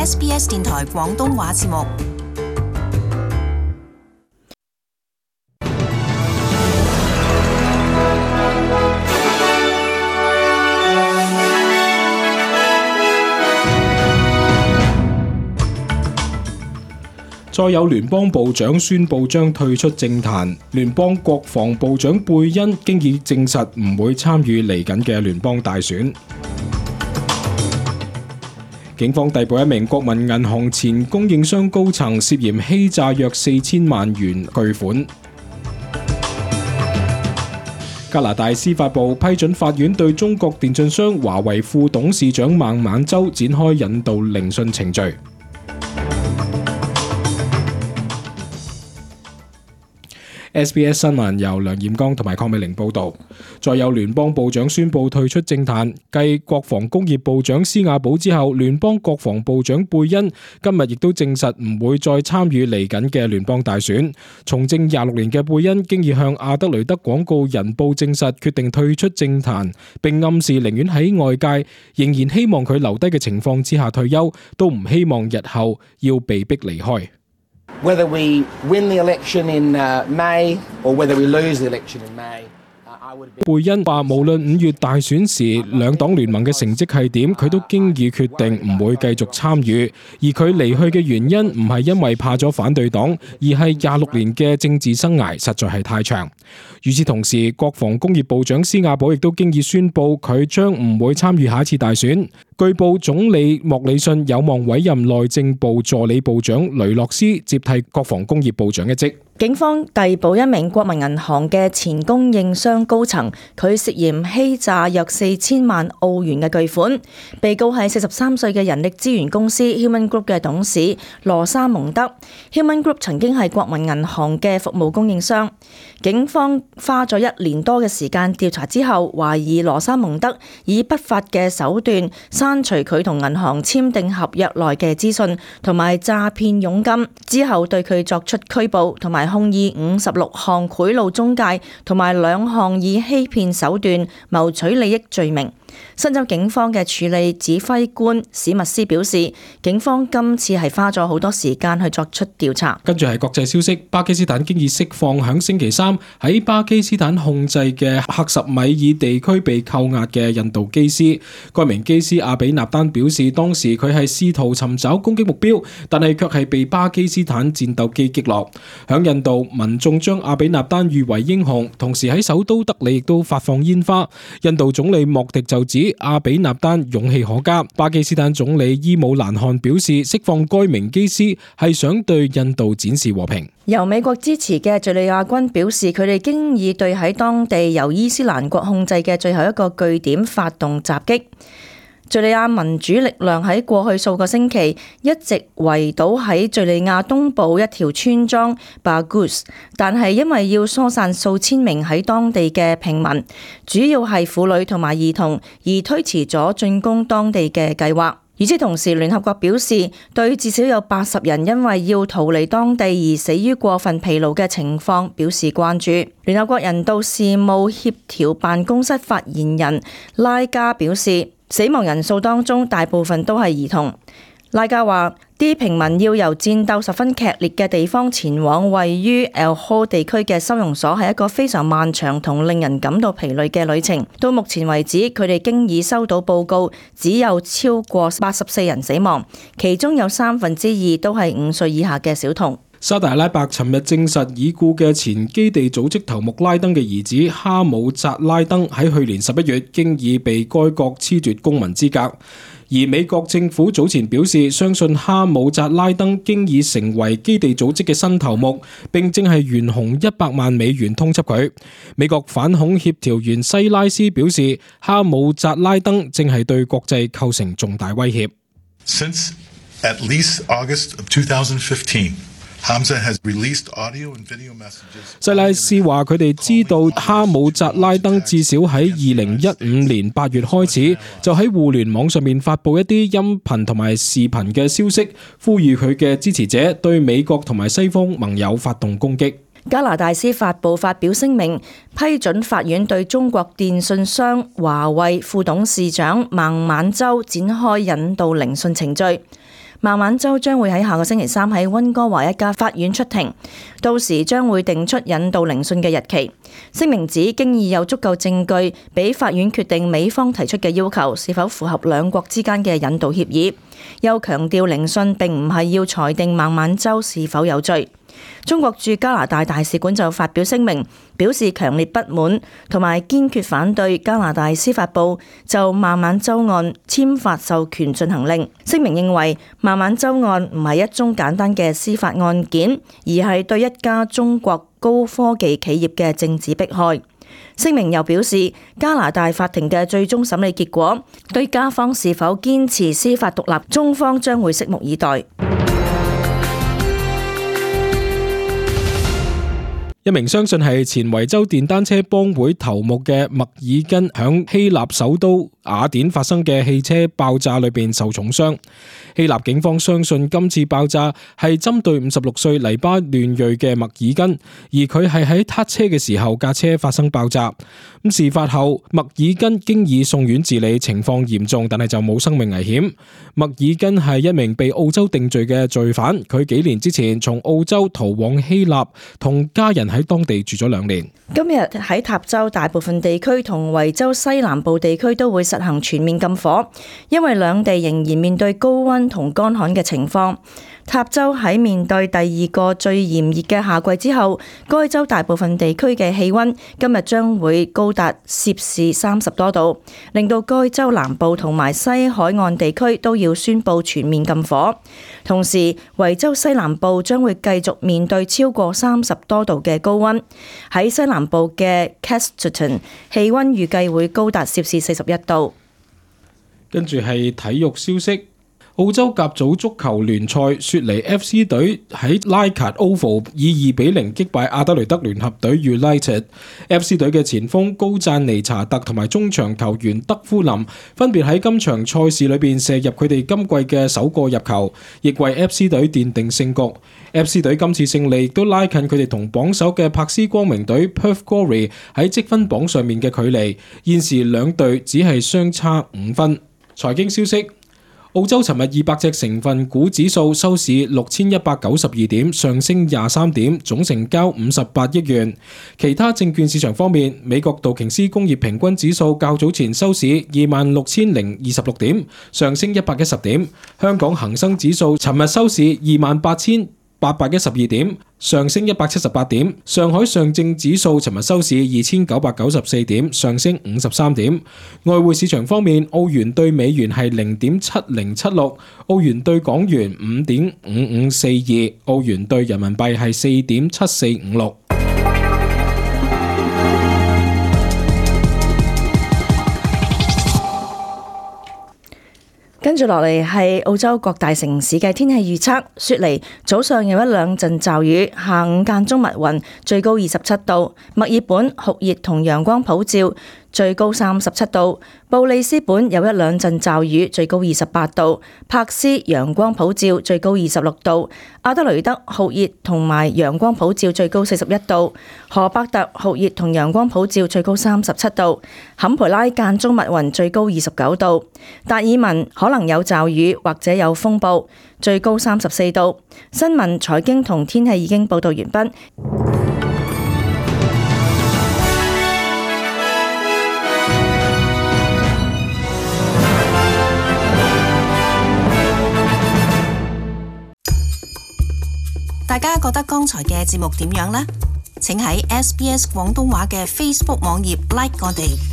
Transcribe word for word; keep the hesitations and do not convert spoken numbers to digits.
S B S 電台廣東話節目。再有聯邦部長宣布將退出政壇，聯邦國防部長貝恩經已證實唔會參與嚟緊嘅聯邦大選。警方逮捕一名國民銀行前供應商高層，涉嫌欺詐約四千萬元巨款。加拿大司法部批准法院對中國電信商華為副董事長孟晚舟展開引渡聆訊程序。S B S 新聞由梁彥剛同埋鄺美玲報道。再有聯邦部長宣布退出政壇，繼國防工業部長施亞寶之後，聯邦國防部長貝恩今日亦都證實唔會再參與嚟緊嘅聯邦大選。從政廿六年嘅貝恩經已向阿德雷德廣告人報證實決定退出政壇，並暗示寧願喺外界仍然希望佢留低嘅情況之下退休，都唔希望日後要被逼離開。Whether we win the election in uh, May or whether we lose the election in May, uh, I would be... 貝恩話無論五月大選時兩黨聯盟嘅成績係點，佢都經已決定唔會繼續參與，而佢離去嘅原因唔係因為怕咗反對黨，而係廿六年嘅政治生涯實在係太長。與此同時，國防工業部長施亞寶亦都經已宣布佢將唔會參與下一次大選。據報總理莫里遜有望委任內政部助理部長雷諾斯接替國防工業部長一職。警方逮捕一名國民銀行嘅前供應商高層，佢涉嫌欺詐約四千萬澳元嘅巨款。被告係四十三歲嘅人力資源公司 Human Group 嘅董事羅莎蒙德。Human Group 曾經係國民銀行嘅服務供應商。警方花咗一年多嘅時間調查之後，懷疑羅莎蒙德以不法嘅手段刪除佢同銀行簽訂合約內嘅資訊，同埋詐騙佣金，之後對佢作出拘捕，同埋控以五十六項賄賂中介同埋兩項以欺騙手段謀取利益罪名。新州警方嘅處理指揮官史密斯表示，警方今次係花咗好多時間去作出調查。跟住係國際消息，巴基斯坦經已釋放響星期三喺巴基斯坦控制嘅克什米爾地區被扣押嘅印度機師。該名機師阿比納丹表示，當時佢係試圖尋找攻擊目標，但係卻係被巴基斯坦戰鬥機擊落。響印度，民眾將阿比納丹譽為英雄，同時喺首都德里亦都發放煙花。印度總理莫迪就指阿比納丹勇氣可嘉。巴基斯坦總理伊姆蘭汗表示，釋放該名機師係想對印度展示和平。由美國支持嘅敘利亞軍表示，佢哋經已對喺當地由伊斯蘭國控制嘅最後一個據點發動襲擊。敘利亞民主力量喺過去數個星期一直圍堵喺敘利亞東部一條村莊巴古斯，但係因為要疏散數千名喺當地嘅平民，主要係婦女同埋兒童，而推遲咗進攻當地嘅計劃。與此同時，聯合國表示對至少有八十人因為要逃離當地而死於過分疲勞嘅情況表示關注。聯合國人道事務協調辦公室發言人拉加表示，死亡人數當中大部分都係兒童。拉加話：啲平民要由戰鬥十分劇烈嘅地方前往位於 El Hol 地區嘅收容所，係一個非常漫長同令人感到疲累嘅旅程。到目前為止，佢哋經已收到報告，只有超過八十四人死亡，其中有三分之二都係五歲以下嘅小童。沙特阿拉伯尋日證實，已故嘅前基地組織頭目拉登嘅兒子哈姆扎拉登喺去年十一月經已被該國褫奪公民資格，而美國政府早前表示，相信哈姆扎拉登經已成為基地組織嘅新頭目，並正係懸紅一百萬美元通緝佢。美國反恐協調員西拉斯表示，哈姆扎拉登正係對國際構成重大威脅。Since at least August of twenty fifteen, Hamza has released audio and video messages. 西拉斯話佢哋知道哈姆扎拉登至少喺二零一五年八月開始就喺互聯網上面發布一啲音頻同埋視頻嘅消息，呼籲佢嘅支持者對美國同埋西方盟友發動攻擊。加拿大司法部發表聲明，批准法院對中國電信商華為副董事長孟晚舟展開引渡聆訊程序。孟晚舟將會喺下個星期三喺溫哥華一家法院出庭，到時將會定出引渡聆訊嘅日期。聲明指經已有足夠證據俾法院決定美方提出嘅要求是否符合兩國之間嘅引渡協議，又強調聆訊並唔係要裁定孟晚舟是否有罪。中國駐加拿大大使館就發表聲明，表示強烈不滿同埋堅決反對加拿大司法部就孟晚舟案簽發授權進行令。聲明認為孟晚舟案唔係一宗簡單嘅司法案件，而係對一家中國高科技企業嘅政治迫害。聲明又表示，加拿大法庭嘅最終審理結果對加方是否堅持司法獨立，中方將會拭目以待。一名相信係前維州電單車幫會頭目嘅麥爾根響希臘首都雅典發生嘅汽車爆炸裏邊受重傷。希臘警方相信今次爆炸係針對五十六歲黎巴嫩裔嘅麥爾根，而佢係喺撻車嘅時候架車發生爆炸。咁事發後，麥爾根經已送院治理，情況嚴重，但係就冇生命危險。麥爾根係一名被澳洲定罪嘅罪犯，佢幾年之前從澳洲逃往希臘，同家人喺當地住咗兩年。今日喺塔州大部分地區同維州西南部地區都會實行全面禁火，因為兩地仍然面對高溫同乾旱嘅情況。塔州喺面對第二個最炎熱嘅夏季之後，該州大部分地區嘅氣溫今日將會高達攝氏三十多度，令到該州南部同埋西海岸地區都要宣布全面禁火。同時，維州西南部將會繼續面對超過三十多度嘅高溫。喺西南部嘅 Casterton， 氣溫預計會高達攝氏四十一度。跟住係體育消息。澳洲甲組足球聯賽，雪梨 F C 隊喺拉卡 Oval 以二比零擊敗阿德雷德聯合隊 United。F C 隊嘅前鋒高贊尼查特同埋中場球員德夫林分別喺今場賽事裏邊射入佢哋今季嘅首個入球，亦為 F C 隊奠定勝局。F C 隊今次勝利亦都拉近佢哋同榜首嘅柏斯光明隊 Perth Glory 喺積分榜上面嘅距離，現時兩隊只係相差五分。財經消息。澳洲尋日二百隻成分股指數收市六千一百九十二點，上升廿三點，總成交五十八億元。其他證券市場方面，美國道瓊斯工業平均指數較早前收市二萬六千零二十六點，上升一百一十點。香港恒生指數尋日收市二萬八千八百一十二點，上升一百七十八點。上海上證指數尋日收市二千九百九十四點，上升五十三點。外匯市場方面，澳元對美元係零點七零七六，澳元對港元五點五五四二，澳元對人民幣係四點七四五六。跟住落嚟係澳洲各大城市嘅天氣預測。雪梨早上有一兩陣驟雨，下午間中密雲，最高二十七度。墨爾本酷熱同陽光普照，最高三十七度。布里斯本有一兩陣驟雨，最高二十八度。柏斯陽光普照，最高二十六度。阿德雷德酷熱同埋陽光普照，最高四十一度。荷伯特酷熱同陽光普照，最高三十七度。坎培拉間中密雲，最高二十九度。達爾文可能有驟雨或者有風暴，最高三十四度。新聞、財經同天氣已經報道完畢。大家覺得剛才嘅節目點樣呢？請喺 S B S 廣東話嘅 Facebook 網頁 like 我哋。